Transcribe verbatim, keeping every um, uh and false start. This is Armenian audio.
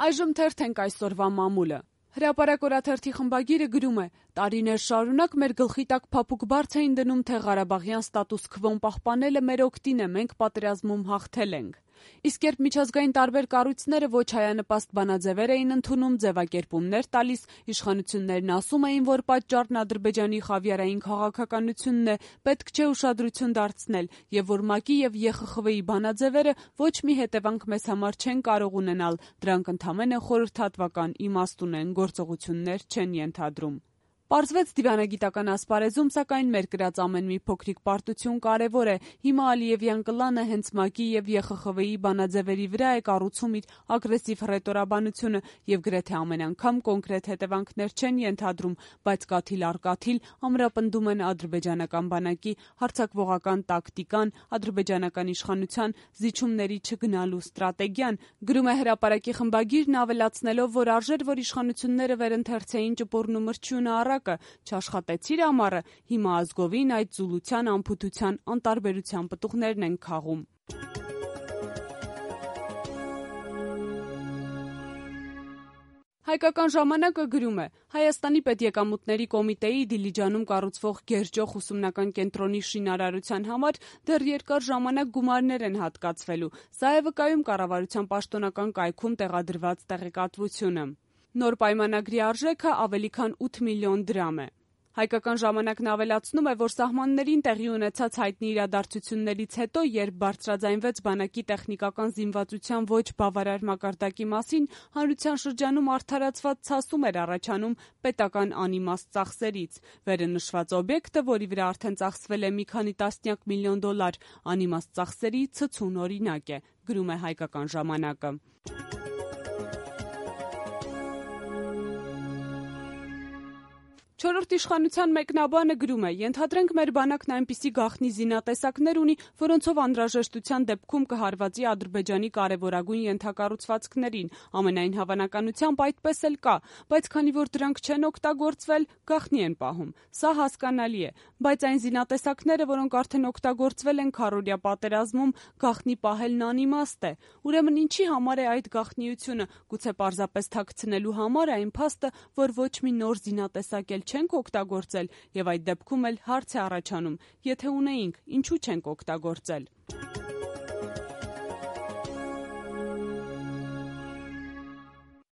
Այժմ թերթենք այսօրվա մամուլը։ Հրապարակ օրաթերթի խմբագիրը գրում է. տարիներ շարունակ մեր գլխի տակ փափուկ բարձ էին դնում, թե Ղարաբաղյան ստատուս քվոն պահպանելը մեր օգտին է, մենք պատերազմում հաղթել ենք։ Իսկ երբ միջազգային տարբեր կառույցները ոչ հայանպաստ բանաձևեր էին ընդունում, ձևակերպումներ տալիս, իշխանություններն ասում էին, որ պատճառն Ադրբեջանի խավիարային քաղաքականությունն է, պետք չէ ուշադրություն դարձնել, եւ որ ՄԱԿ-ի եւ ԵԽԽՎ-ի բանաձևերը ոչ մի հետևանք մեզ համար չեն կարող ունենալ, դրանք ընդամենը խորհրդատվական իմաստ ունեն, գործողություններ չեն ենթադրում։ Պարզվեց դիվանագիտական ասպարեզում, սակայն մեր կրած ամեն մի փոքրիկ պարտություն կարևոր է։ Հիմա Ալիևյան կլանը հենց ՄԱԿ-ի եւ ԵԽԽՎ-ի բանաձևերի վրա է կառուցում իր ագրեսիվ հռետորաբանությունը եւ գրեթե ամեն անգամ կոնկրետ հետևանքներ չեն ենթադրում, բայց կաթիլ առ կաթիլ ամրապնդում են ադրբեջանական բանակի հարձակվողական տակտիկան, ադրբեջանական իշխանության զիջումների չգնալու ստրատեգիան, գրում է Հրապարակի խմբագիրն, ավելացնելով, որ արժեր, որ իշխանությունները վերընթերցեին ճպուրն ու մրջյունը առ չաշխատեցիր ամառը, հիմա ազգովին այդ զուլության, անփութության, անտարբերության պտուղներն են քաղում։ Հայկական ժամանակը գրում է. Հայաստանի պետեկամուտների կոմիտեի Դիլիջանում կառուցվող Գերջոխ ուսումնական կենտրոնի շինարարության համար դեռ երկար ժամանակ գումարներ են հատկացվելու։ Սա է վկայում կառավարության պաշտոնական կայքում տեղադրված տեղեկատվությունը։ Նոր պայմանագրի արժեքը ավելի քան ութ միլիոն դրամ է։ Հայկական ժամանակն ավելացնում է, որ սահմաններին տեղի ունեցած հայտնի իրադարձություններից հետո, երբ բարձրաձայնվեց բանակի տեխնիկական զինվածության ոչ բավարար մակարդակի մասին, հանրության շրջանում արդարացված ցասում էր առաջանում պետական անիմաստ ծախսերից։ Վերը նշված օբյեկտը, որի վրա արդեն ծախսվել է մի քանի տասնյակ միլիոն դոլար, անիմաստ ծախսերի ցցուն օրինակ է, գրում է Հայկական ժամանակը։ Չորրորդ իշխանության մեկնաբանը գրում է. ենթադրենք մեր բանակն այնպիսի գաղտնի զինատեսակներ ունի, որոնցով անհրաժեշտության դեպքում կհարվածի Ադրբեջանի կարևորագույն ենթակառուցվածքներին, ամենայն հավանականությամբ այդպես էլ կա, բայց քանի որ դրանք չեն օգտագործվել, գաղտնի են պահում։ Սա հասկանալի է, բայց այն զինատեսակները, որոնք արդեն օգտագործվել են քառօրյա պատերազմում, գաղտնի պահելն անիմաստ է։ Ուրեմն ինչի համար է այդ գաղտնիությունը, գուցե պարզապես թաքցնելու համար է այն փաստը, որ ոչ մի նոր զինատեսակ էլ չենք օգտագործել, եւ այդ դեպքում էլ հարց է առաջանում, եթե ունեինք, ինչու չենք օգտագործել։